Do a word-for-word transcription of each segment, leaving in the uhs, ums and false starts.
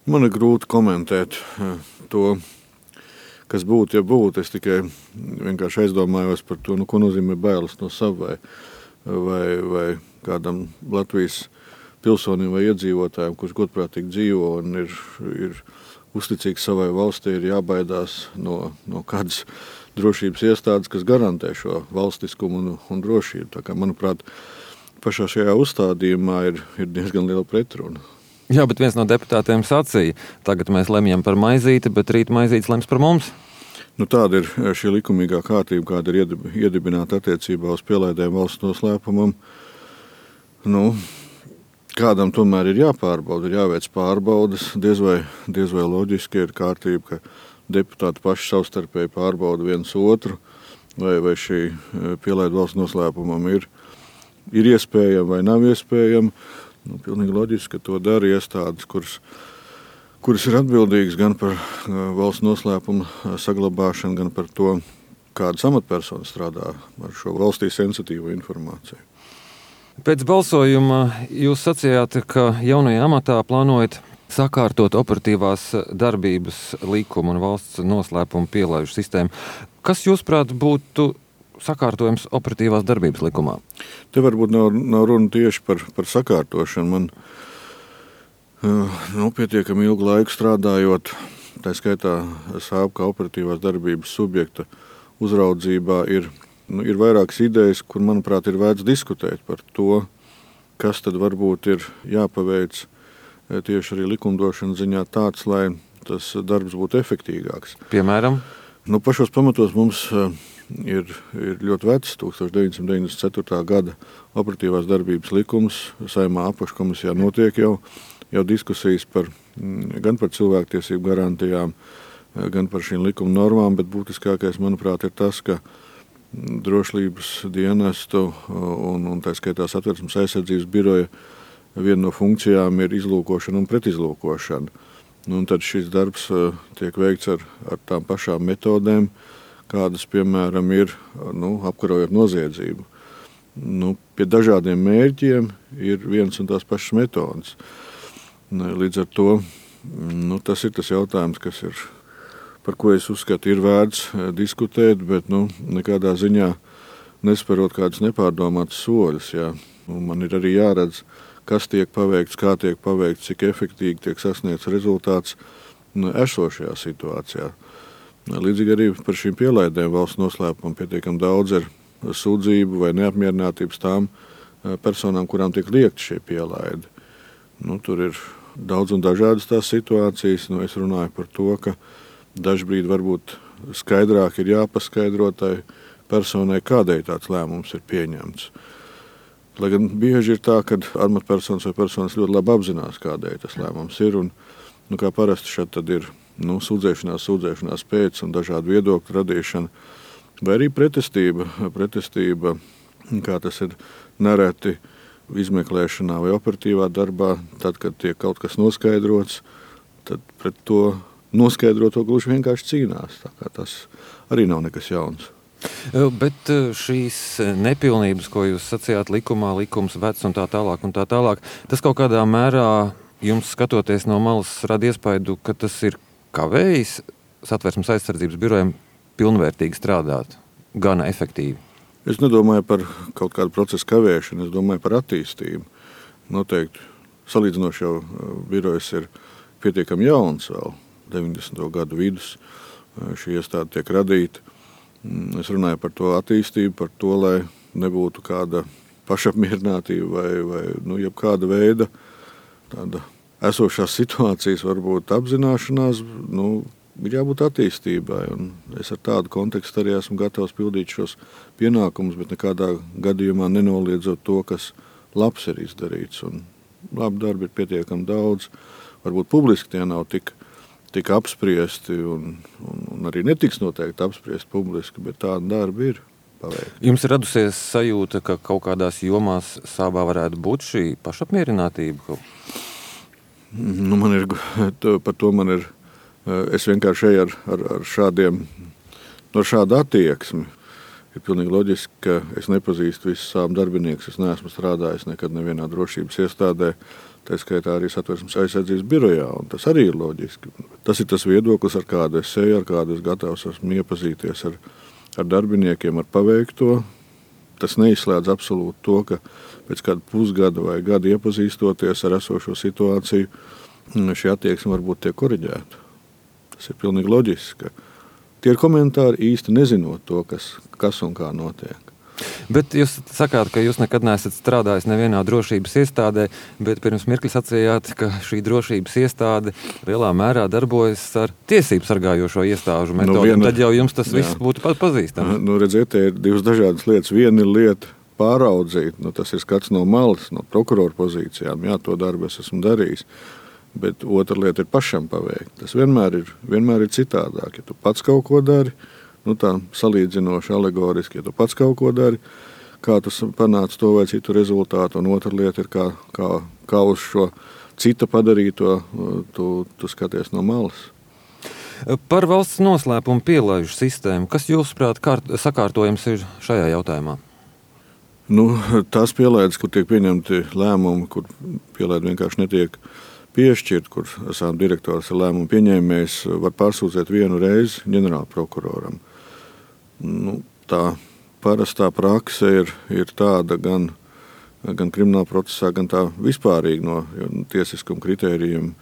Man ir grūti komentēt to, kas būtu, ja būtu. Es tikai vienkārši aizdomājos par to, nu, ko nozīmē bailes no sava vai, vai, vai kādam Latvijas pilsonim vai iedzīvotājiem, kurš godprātīgi dzīvo un ir, ir uzticīgs savai valstī, ir jābaidās no, no kādas drošības iestādes, kas garantē šo valstiskumu un, un drošību. Tā kā, manuprāt, pašā šajā uzstādījumā ir, ir diezgan liela pretruna. Jā, bet viens no deputātiem sacīja, tagad mēs lemjam par maizīti, bet rīt maizītes lems par mums. Nu, tāda ir šī likumīgā kārtība, kāda ir iedibināta attiecībā uz pielaidēm valsts noslēpumam. Nu, kādam tomēr ir jāpārbauda, ir jāveic pārbaudas. Diez vai, diez vai loģiski ir kārtība, ka deputāti paši savstarpēji pārbauda viens otru, vai, vai šī pielaida valsts noslēpumam ir, ir iespējama vai nav iespējama. Nu, pilnīgi loģiski, ka to dara iestādes, kuras, kuras ir atbildīgas gan par valsts noslēpumu saglabāšanu, gan par to, kādas amatpersonas strādā ar šo valstī sensitīvo informāciju. Pēc balsojuma jūs sacījāt, ka jaunajā amatā plānojat sakārtot operatīvās darbības likumu un valsts noslēpumu pielaižu sistēmu. Kas, jūsuprāt, būtu sakārtojums operatīvās darbības likumā? Te varbūt nav, nav runa tieši par, par sakārtošanu. Man nu, pietiekami ilgu laiku strādājot, tā skaitā sāp kā operatīvās darbības subjekta uzraudzībā, ir, nu, ir vairākas idejas, kur, manuprāt, ir vērts diskutēt par to, kas tad varbūt ir jāpaveic tieši arī likumdošanas ziņā tāds, lai tas darbs būtu efektīgāks. Piemēram? Nu, pašos pamatos mums Ir, ir ļoti vecs, tukstovš deviņsimt deviņdesmit ceturtā gada operatīvās darbības likums. Saeimā apakškomisijā notiek jau, jau diskusijas par, gan par cilvēktiesību garantijām, gan par šīm likuma normām, bet būtiskākais, manuprāt, ir tas, ka drošības dienestu un, un tā skaitā Satversmes aizsardzības biroja viena no funkcijām ir izlūkošana un pretizlūkošana. Nu, un tad šis darbs tiek veikts ar, ar tām pašām metodēm, kādas, piemēram, ir nu, apkarojot noziedzību. Nu, pie dažādiem mērķiem ir viens un tās pašas metodas. Līdz ar to nu, tas ir tas jautājums, kas ir, par ko es uzskatu, ir vērts diskutēt, bet nu, nekādā ziņā nesparot kādus nepārdomātus soļus. Jā. Nu, man ir arī jāredz, kas tiek paveikts, kā tiek paveikts, cik efektīgi tiek sasniegts rezultāts nu, esošajā situācijā. Līdzīgi arī par šīm pielaidēm valsts noslēpumam pietiekam daudz ir sūdzību vai neapmierinātības tām personām, kurām tiek liekti šie pielaidi. Nu, tur ir daudz un dažādas tās situācijas. Nu, es runāju par to, ka dažbrīd varbūt skaidrāk ir jāpaskaidro tai personai, kādēļ tāds lēmums ir pieņemts. Lai gan bieži ir tā, ka amatpersonas vai personas ļoti labi apzinās, kādēļ tas lēmums ir. Un, nu, kā parasti šeit tad ir Nu, sūdzēšanās, sūdzēšanās pēc un dažādu viedokļu radīšana, vai arī pretestība, pretestība, kā tas ir nereti izmeklēšanā vai operatīvā darbā, tad, kad tiek kaut kas noskaidrots, tad pret to noskaidroto gluži vienkārši cīnās. Tā kā tas arī nav nekas jauns. Bet šīs nepilnības, ko jūs sacījāt likumā, likums vecs un tā tālāk un tā tālāk, tas kaut kādā mērā jums skatoties no malas rada iespaidu, ka tas ir kavējis Satversmes aizsardzības birojiem pilnvērtīgi strādāt, gana efektīvi? Es nedomāju par kaut kādu procesu kavēšanu, es domāju par attīstību. Noteikti salīdzinoši jau birojas ir pietiekami jauns vēl, deviņdesmito gadu vidus šī iestāde tiek radīta. Es runāju par to attīstību, par to, lai nebūtu kāda pašapmierinātība vai, vai nu, jebkāda veida tāda esošās situācijas varbūt apzināšanās, nu, ir jābūt attīstībai. Un es ar tādu kontekstu arī esmu gatavs pildīt šos pienākumus, bet nekādā gadījumā nenoliedzot to, kas labs ir izdarīts. Un labi darbi ir pietiekami daudz. Varbūt publiski tie nav tik, tik apspriesti un, un, un arī netiks noteikti apspriesti publiski, bet tādi darbi ir paveikti. Jums ir radusies sajūta, ka kaut kādās jomās sābā varētu būt šī pašapmierinātība? Nu, man ir, par to man ir, es vienkārši eju ar, ar, ar šādiem, no šādu attieksmi. Ir pilnīgi loģiski, ka es nepazīstu visus sābu darbiniekus, es neesmu strādājis nekad nevienā drošības iestādē, tā skaitā arī Satversmes aizsardzības birojā, un tas arī ir loģiski. Tas ir tas viedoklis, ar kādu es eju, ar kādu es gatavs esmu iepazīties ar, ar darbiniekiem, ar paveikto. Tas neizslēdz absolūti to, ka pēc kāda pusgada vai gada iepazīstoties ar esošo situāciju, šī attieksme varbūt tiek koriģēta. Tas ir pilnīgi loģiski. Tie ir komentāri īsti nezinot to, kas, kas un kā notiek. Bet jūs sakāt, ka jūs nekad neesat strādājis nevienā drošības iestādē, bet pirms mirkli sacījāt, ka šī drošības iestāde lielā mērā darbojas ar tiesību sargājošo iestāžu metodi. Nu, viena, tad jau jums tas viss jā. būtu pat pazīstams. Nu, redziet, te ir divas dažādas lietas. Viena ir lieta pāraudzīt, nu, tas ir skats no malas, no prokurora pozīcijām. Jā, to darbu es esmu darījis. Bet otra lieta ir pašam paveikt. Tas vienmēr ir, vienmēr ir citādāk. Ja tu pats kaut ko dari, nu tā salīdzinoši alegoriski, ja tu pats kaut ko dari, kā tu panāc to vai citu rezultātu, un otra lieta ir, kā, kā, kā uz šo cita padarīto tu, tu skaties no malas. Par valsts noslēpumu pielaižu sistēmu, kas jūsuprāt kārt, sakārtojums ir šajā jautājumā? Nu, tās pielaides, kur tiek pieņemti lēmumi, kur pielaide vienkārši netiek piešķirt, kur esam direktors ar lēmumu pieņēmējs, var pārsūdzēt vienu reizi ģenerāla prokuroram. Nu, tā parastā prakse ir, ir tāda gan, gan krimināla procesā, gan tā vispārīgi no tiesiskuma kritērijiem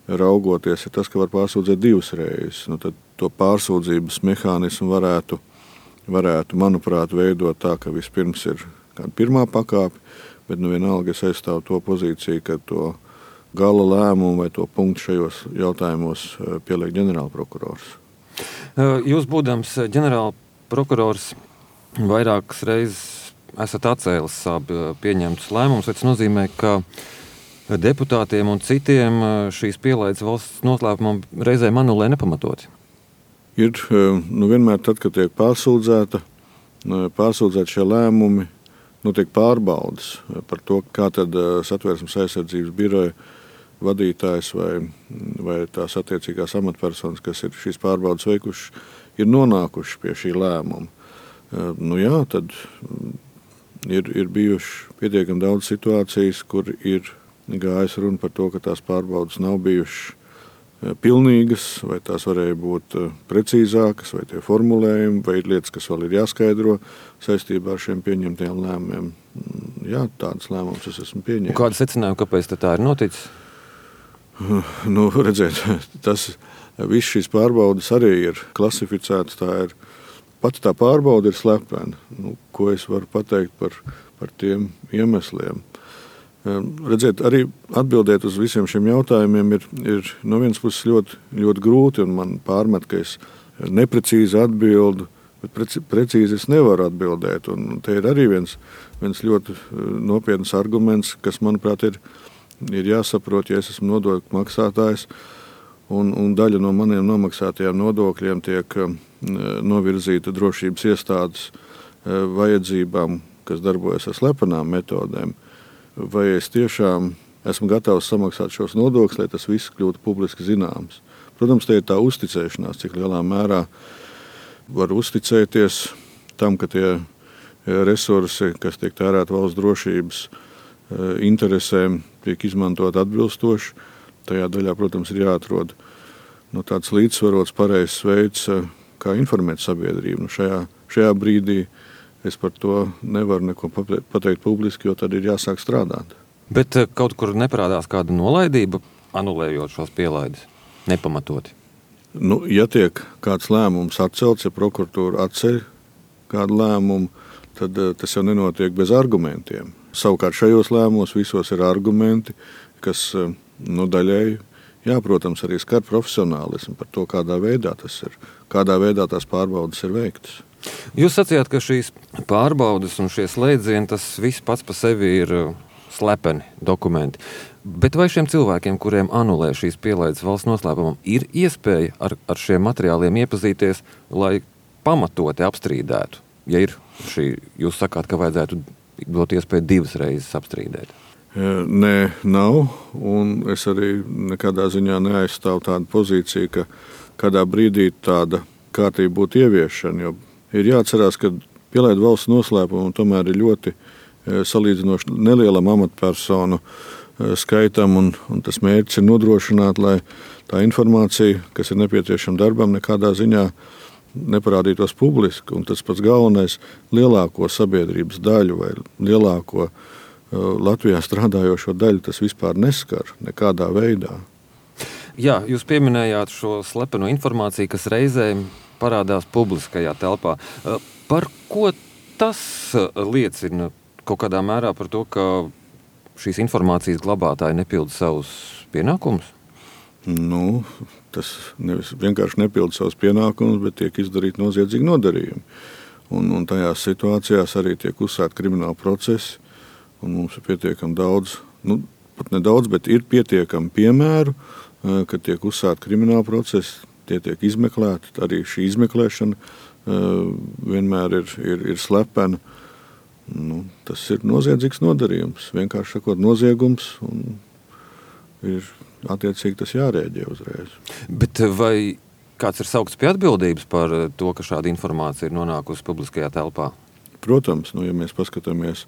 raugoties, ir tas, ka var pārsūdzēt divas reizes. Nu, tad to pārsūdzības mehānismu varētu, varētu, manuprāt, veidot tā, ka vispirms ir kāda pirmā pakāpe, bet nu vienalga es aizstāvu to pozīciju, ka to gala lēmumu vai to punktu šajos jautājumos pieliek ģenerāla prokurors. Jūs, būdams ģenerāla prokurors, vairākas reizes esat atcēlis savu pieņemtus lēmumus. Tas nozīmē, ka deputātiem un citiem šīs pielaides valsts noslēpumam reizēm anulē nepamatoti. Ir nu, vienmēr tad, kad tiek pārsūdzēta, pārsūdzēt šie lēmumi, notiek pārbaudas par to, kā tad Satversmes aizsardzības biroja vadītājs vai, vai tās attiecīgās amatpersonas, kas ir šīs pārbaudas veikuši, ir nonākuši pie šī lēmuma. Nu jā, tad ir, ir bijuši pietiekami daudz situācijas, kur ir gājis runa par to, ka tās pārbaudas nav bijušas pilnīgas, vai tās varēja būt precīzākas, vai tie formulējumi, vai ir lietas, kas vēl ir jāskaidro saistībā ar šiem pieņemtiem lēmumiem. Jā, tādas lēmumus es esmu pieņēmis. Un kāda secinājuma, kāpēc tā ir noticis? Nu, redziet, tas, viss šīs pārbaudas arī ir klasificētas, tā ir, pati tā pārbauda ir slepena. Nu, ko es varu pateikt par, par tiem iemesliem? Redziet, arī atbildēt uz visiem šiem jautājumiem ir, ir no vienas puses ļoti, ļoti grūti, un man pārmet, ka es neprecīzi atbildu, bet preci, precīzi es nevaru atbildēt. Un te ir arī viens, viens ļoti nopietns arguments, kas, manuprāt, ir, ir jāsaprot, ja es esmu nodokļu maksātājs, un, un daļa no maniem nomaksātajiem nodokļiem tiek novirzīta drošības iestādes vajadzībām, kas darbojas ar slepenām metodēm. Vai es tiešām esmu gatavs samaksāt šos nodokļus, lai tas viss kļūtu publiski zināms. Protams, te ir tā uzticēšanās, cik lielā mērā var uzticēties tam, ka tie resursi, kas tiek tērēti valsts drošības interesēm, tiek izmantot atbilstoši. Tajā daļā, protams, ir jāatrod nu, tāds līdzsvarots pareizs veids, kā informēt sabiedrību. Nu, šajā, šajā brīdī es par to nevaru neko pateikt publiski, jo tad ir jāsāk strādāt. Bet kaut kur neparādās kāda nolaidība, anulējot šos pielaides, nepamatoti? Nu, ja tiek kāds lēmums atcelts, ja prokuratūra atceļ kādu lēmumu, tad tas jau nenotiek bez argumentiem. Savukārt šajos lēmumos visos ir argumenti, kas nu, daļēji, jā, protams, arī skar profesionālismu par to, kādā veidā tas ir, kādā veidā tās pārbaudas ir veiktas. Jūs sacījāt, ka šīs pārbaudas un šie slēdzieni, tas viss pats pa sevi ir slepeni dokumenti. Bet vai šiem cilvēkiem, kuriem anulē šīs pielaides valsts noslēpumam, ir iespēja ar, ar šiem materiāliem iepazīties, lai pamatoti apstrīdētu? Ja ir šī, jūs sakāt, ka vajadzētu dot iespēju divas reizes apstrīdēt. Nē, nav, un es arī nekādā ziņā neaizstāvu tādu pozīciju, ka kādā brīdī tāda kārtība būtu ieviešana, jo ir jāatcerās, ka pielaidu valsts noslēpumu tomēr ir ļoti salīdzinoši nelielam amatpersonu skaitam, un, un tas mērķis ir nodrošināt, lai tā informācija, kas ir nepieciešama darbam, nekādā ziņā neparādītos publiski. Un tas pats galvenais - lielāko sabiedrības daļu vai lielāko Latvijā strādājošo daļu tas vispār neskar nekādā veidā. Jā, jūs pieminējāt šo slepeno informāciju, kas reizēm parādās publiskajā telpā. Par ko tas liecina kaut kādā mērā par to, ka šīs informācijas glabātāji nepilda savus pienākumus? Nu, tas nevis vienkārši nepilda savus pienākumus, bet tiek izdarīti noziedzīgi nodarījumi. Un, un tajās situācijās arī tiek uzsākti krimināli procesi. Un mums ir pietiekami daudz, nu, pat nedaudz, bet ir pietiekami piemēru, kad tiek uzsākti krimināli procesi, tie tiek izmeklēti. Arī šī izmeklēšana vienmēr ir, ir, ir slepena. Nu, tas ir noziedzīgs nodarījums, vienkārši sakot, noziegums, un ir attiecīgi tas jārēģē uzreiz. Bet vai kāds ir saukts pie atbildības par to, ka šāda informācija ir nonākusi publiskajā telpā? Protams, nu, ja mēs paskatāmies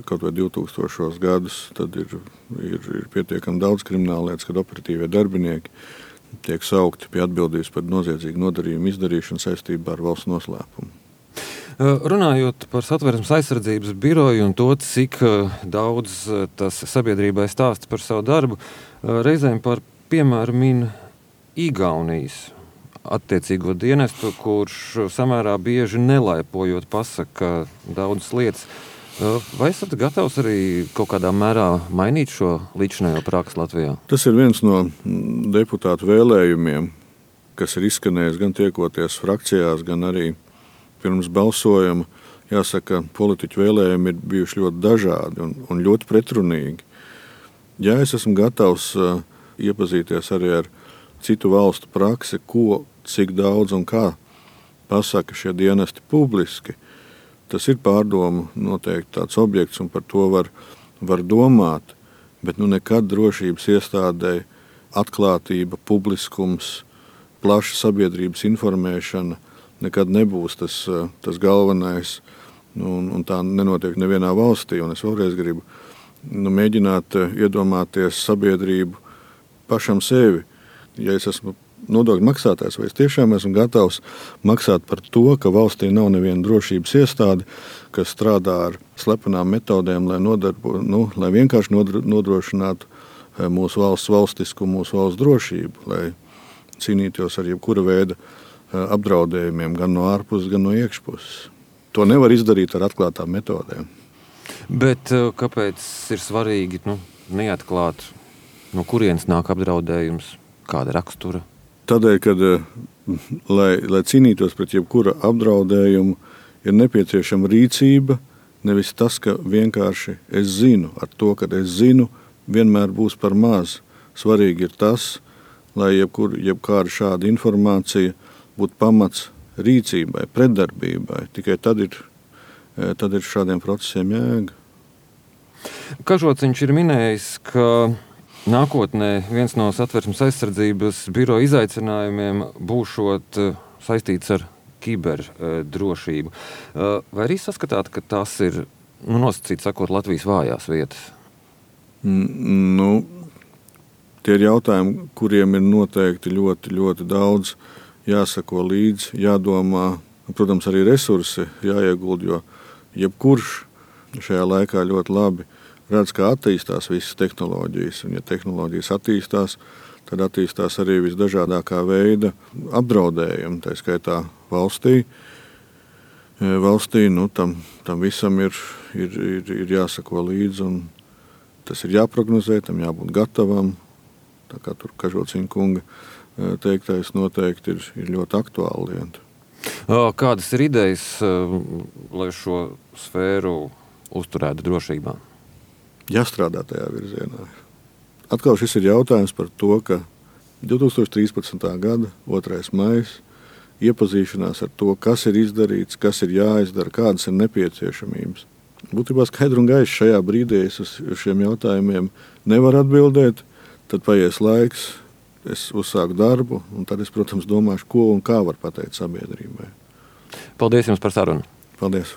kaut vai divtūkstošos gadus, tad ir, ir, ir pietiekami daudz krimināla lietas, kad operatīvie darbinieki tiek saukti pie atbildības par noziedzīgu nodarījumu izdarīšanu saistībā ar valsts noslēpumu. Runājot par Satversmes aizsardzības biroju un to, cik daudz tas sabiedrībai stāsta par savu darbu, reizēm par piemēru min Igaunijas attiecīgo dienestu, kurš samērā bieži nelaipojot pasaka daudzas lietas. Vai esat gatavs arī kaut kādā mērā mainīt šo līdzinējo praksi Latvijā? Tas ir viens no deputātu vēlējumiem, kas ir izskanējis gan tiekoties frakcijās, gan arī pirms balsojuma. Jāsaka, politiķu vēlējumi ir bijuši ļoti dažādi un, un ļoti pretrunīgi. Ja es esmu gatavs uh, iepazīties arī ar citu valstu praksi, ko, cik daudz un kā pasaka šie dienesti publiski, tas ir pārdomu noteikti tāds objekts, un par to var, var domāt, bet nu nekad drošības iestādē atklātība, publiskums, plaša sabiedrības informēšana nekad nebūs tas, tas galvenais, nu, un, un tā nenotiek nevienā valstī. Un es vēlreiz gribu nu, mēģināt iedomāties sabiedrību pašam sevi. Ja es esmu nodokļu maksātājs, vai es tiešām esmu gatavs maksāt par to, ka valstī nav neviena drošības iestāde, kas strādā ar slepenām metodēm, lai, nodarbo, nu, lai vienkārši nodrošinātu mūsu valsts valstiskumu, mūsu valsts drošību, lai cīnītos ar jebkura veida apdraudējumiem, gan no ārpuses, gan no iekšpuses. To nevar izdarīt ar atklātām metodēm. Bet kāpēc ir svarīgi nu, neatklāt, no kurienes nāk apdraudējums, kāda rakstura? Tādēļ, kad, lai, lai cīnītos pret jebkura apdraudējumu, ir nepieciešama rīcība, nevis tas, ka vienkārši es zinu. Ar to, ka es zinu, vienmēr būs par maz. Svarīgi ir tas, lai jebkur, jebkāda šāda informācija būtu pamats rīcībai, pretdarbībai. Tikai tad ir, tad ir šādiem procesiem jēga. Kažociņš ir minējis, ka nākotnē viens no Satversmes aizsardzības biroja izaicinājumiem būšot saistīts ar kiberdrošību. Vai arī saskatāt, ka tas ir, nu, nosacīt sakot, Latvijas vājās vietas? Nu, tie ir jautājumi, kuriem ir noteikti ļoti, ļoti daudz jāsako līdzi, jādomā, protams, arī resursi jāieguld, jo jebkurš šajā laikā ļoti labi redz, kā attīstās visas tehnoloģijas. Un, ja tehnoloģijas attīstās, tad attīstās arī visdažādākā veida apdraudējumi, tā skaitā valstī. Valstī nu, tam, tam visam ir, ir, ir, ir jāsako līdzi, un tas ir jāprognozē, tam jābūt gatavam. Tā kā tur Kažociņa kunga teiktais noteikti ir, ir ļoti aktuāli lieta. Kādas ir idejas, lai šo sfēru uzturētu drošībā? Jāstrādā tajā virzienā. Atkal šis ir jautājums par to, ka divtūkstoš trīspadsmitā gada otrais maijs iepazīšanās ar to, kas ir izdarīts, kas ir jāizdara, kādas ir nepieciešamības. Būtībā skaidri un gaiši šajā brīdī es uz šiem jautājumiem nevaru atbildēt, tad paies laiks, es uzsāku darbu, un tad es, protams, domāšu, ko un kā var pateikt sabiedrībai. Paldies jums par sarunu. Paldies.